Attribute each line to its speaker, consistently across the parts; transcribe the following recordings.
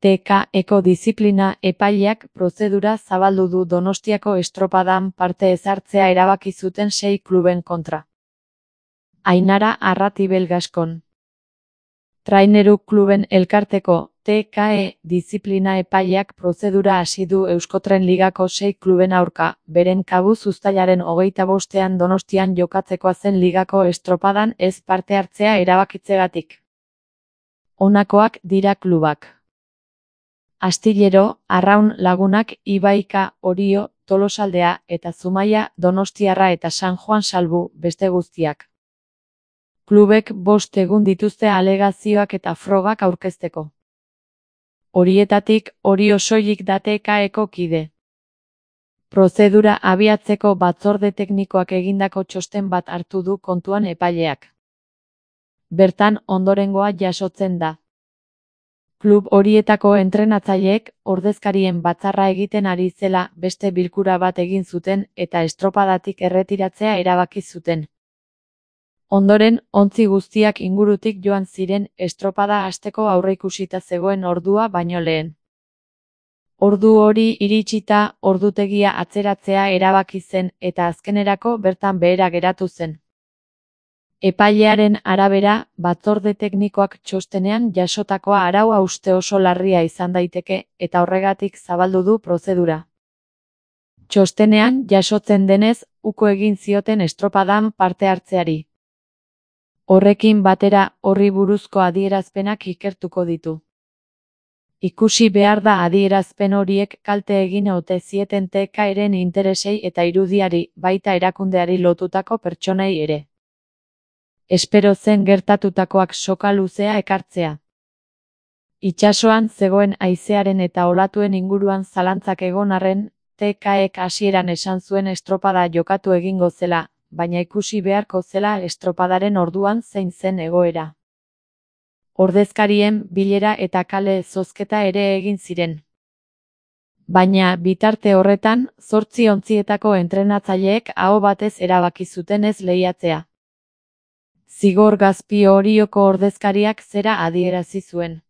Speaker 1: TK-eko diziplina epaileak prozedura zabaldu du Donostiako estropadan parte ez hartzea erabaki zuten 6 kluben kontra. Ainara Arratibel Gaskon. Traineru kluben elkarteko TKE diziplina epaileak prozedura hasi du Euskotren Ligako 6 kluben aurka, beren kabuz uztailaren 25ean Donostian jokatzekoa zen ligako estropadan ez parte hartzea erabakitzegatik. Honakoak dira klubak: Astillero, Arraun Lagunak, Ibaika, Orio, Tolosaldea eta Zumaia, Donostiarra eta San Juan salbu, beste guztiak. Klubek 5 egun dituzte alegazioak eta frogak aurkezteko. Horietatik, Orio soilik da TK-eko kide. Prozedura abiatzeko batzorde teknikoak egindako txosten bat hartu du kontuan epaileak. Bertan ondorengoa jasotzen da. Klub horietako entrenatzaileek ordezkarien batzarra egiten ari zela beste bilkura bat egin zuten eta estropadatik erretiratzea erabaki zuten. Ondoren, ontzi guztiak ingurutik joan ziren estropada hasteko aurreikusita zegoen ordua baino lehen. Ordu hori iritsita, ordutegia atzeratzea erabaki zen eta azkenerako bertan behera geratu zen. Epailearen arabera, batzorde teknikoak txostenean jasotakoa arau-hauste oso larria izan daiteke eta horregatik zabaldu du prozedura. Txostenean jasotzen denez, uko egin zioten estropadan parte hartzeari. Horrekin batera, horri buruzko adierazpenak ikertuko ditu. Ikusi behar da adierazpen horiek kalte egin ote zieten TK-ren interesei eta irudiari, baita erakundeari lotutako pertsonei ere. Espero zen gertatutakoak soka luzea ekartzea. Itsasoan zegoen haizearen eta olatuen inguruan zalantzak egon arren, TK-ek hasieran esan zuen estropada jokatu egingo zela, baina ikusi beharko zela estropadaren orduan zein zen egoera. Ordezkarien bilera eta kale zozketa ere egin ziren. Baina bitarte horretan, 8 ontzietako entrenatzaileek aho batez erabaki zuten ez lehiatzea. Zigor Gazpi Orioko ordezkariak zera adierazi zuen.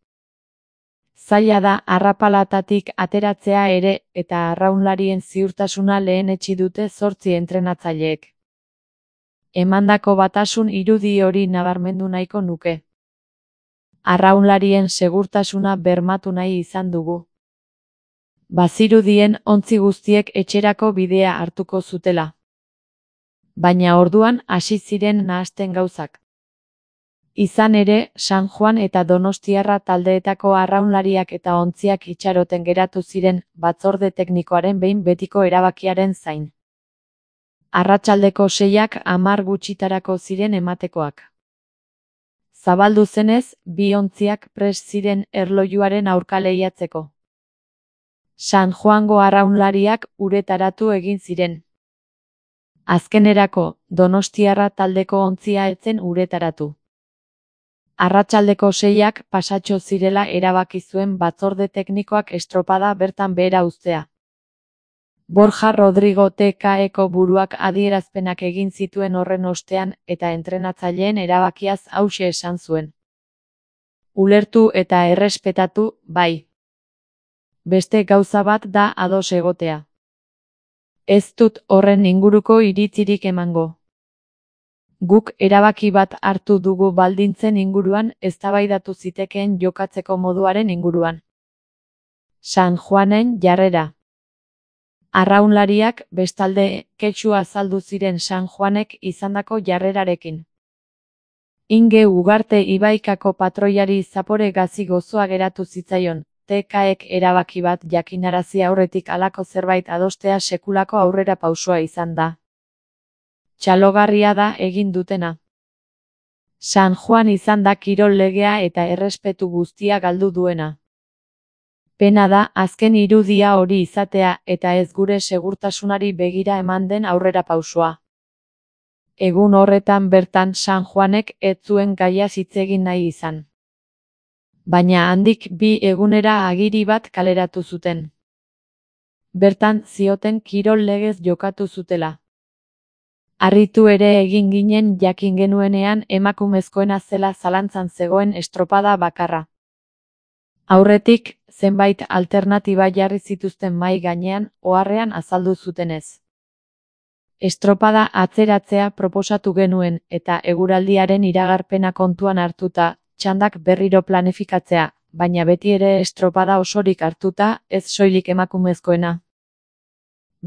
Speaker 1: Zaila da arrapalatatik ateratzea ere eta arraunlarien ziurtasuna lehenetsi dute 8 entrenatzaileek. Emandako batasun irudi hori nabarmendu nahiko nuke. Arraunlarien segurtasuna bermatu nahi izan dugu. Bazirudien ontzi guztiek etxerako bidea hartuko zutela. Baina orduan hasi ziren nahasten gauzak. Izan ere, San Juan eta Donostiarra taldeetako arraunlariak eta ontziak itxaroten geratu ziren batzorde teknikoaren behin betiko erabakiaren zain. Arratsaldeko 6ak 10 gutxitarako ziren ematekoak. Zabaldu zenez, 2 ontziak prest ziren erlojuaren aurka lehiatzeko. San Juango arraunlariak uretaratu egin ziren. Azkenerako, Donostiarra taldeko ontzia ez zen uretaratu. Arratsaldeko 6ak pasatxo zirela erabaki zuen batzorde teknikoak estropada bertan behera uztea. Borja Rodrigo TK-eko buruak adierazpenak egin zituen horren ostean eta entrenatzaileen erabakiaz hauxe esan zuen. Ulertu eta errespetatu, bai. Beste gauza bat da ados egotea. Ez dut horren inguruko iritzirik emango. Guk erabaki bat hartu dugu baldintzen inguruan eztabaidatu zitekeen jokatzeko moduaren inguruan. San Juanen jarrera. Arraunlariak, bestalde, kexu azaldu ziren San Juanek izandako jarrerarekin. Inge Ugarte Ibaikako patroiari zapore gazi gozoa geratu zitzaion, TK-ek erabaki bat jakinarazi aurretik halako zerbait adostea sekulako aurrera pausua izan da. Txalogarria da egin dutena. San Juan izan da kirol legea eta errespetu guztia galdu duena. Pena da azken irudia hori izatea eta ez gure segurtasunari begira eman den aurrera pausua. Egun horretan bertan San Juanek ez zuen gaiaz hitz egin nahi izan. Baina handik 2 egunera agiri bat kaleratu zuten. Bertan zioten kirol legez jokatu zutela. Harritu ere egin ginen jakin genuenean emakumezkoena zela zalantzan zegoen estropada bakarra. Aurretik, zenbait alternatiba jarri zituzten mahai gainean, oharrean azaldu zutenez. Estropada atzeratzea proposatu genuen eta eguraldiaren iragarpena kontuan hartuta, txandak berriro planifikatzea, baina beti ere estropada osorik hartuta, ez soilik emakumezkoena.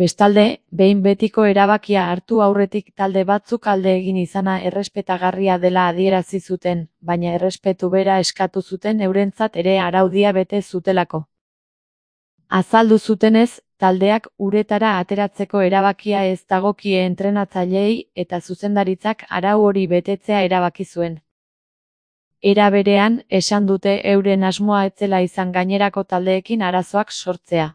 Speaker 1: Bestalde, behin betiko erabakia hartu aurretik talde batzuk alde egin izana errespetagarria dela adierazi zuten, baina errespetu bera eskatu zuten eurentzat ere araudia bete zutelako. Azaldu zutenez, taldeak uretara ateratzeko erabakia ez dagokie entrenatzaileei eta zuzendaritzak arau hori betetzea erabaki zuen. Era berean, esan dute euren asmoa ez zela izan gainerako taldeekin arazoak sortzea.